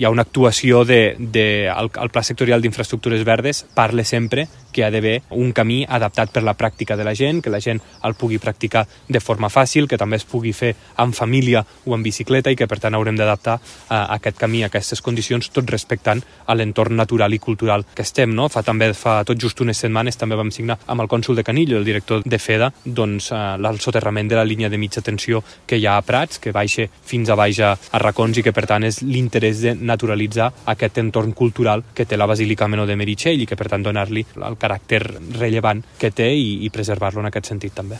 hi ha una actuació el Pla Sectorial d'Infraestructures Verdes parla sempre que hi ha d'haver un camí adaptat per la pràctica de la gent, que la gent el pugui practicar de forma fàcil, que també es pugui fer en família o en bicicleta i que per tant haurem d'adaptar aquest camí a aquestes condicions, tot respectant a l'entorn natural i cultural que estem, no? Fa tot just unes setmanes també vam signar amb el cònsol de Canillo, el director de FEDA, doncs el soterrament de la línia de mitja tensió que hi ha a Prats, que baixa fins a baix a Racons i que per tant és l'interès de naturalitzar aquest entorn cultural que té la Basílica Menor de Meritxell i que per tant donar-li el caràcter rellevant que té i preservar-lo en aquest sentit també.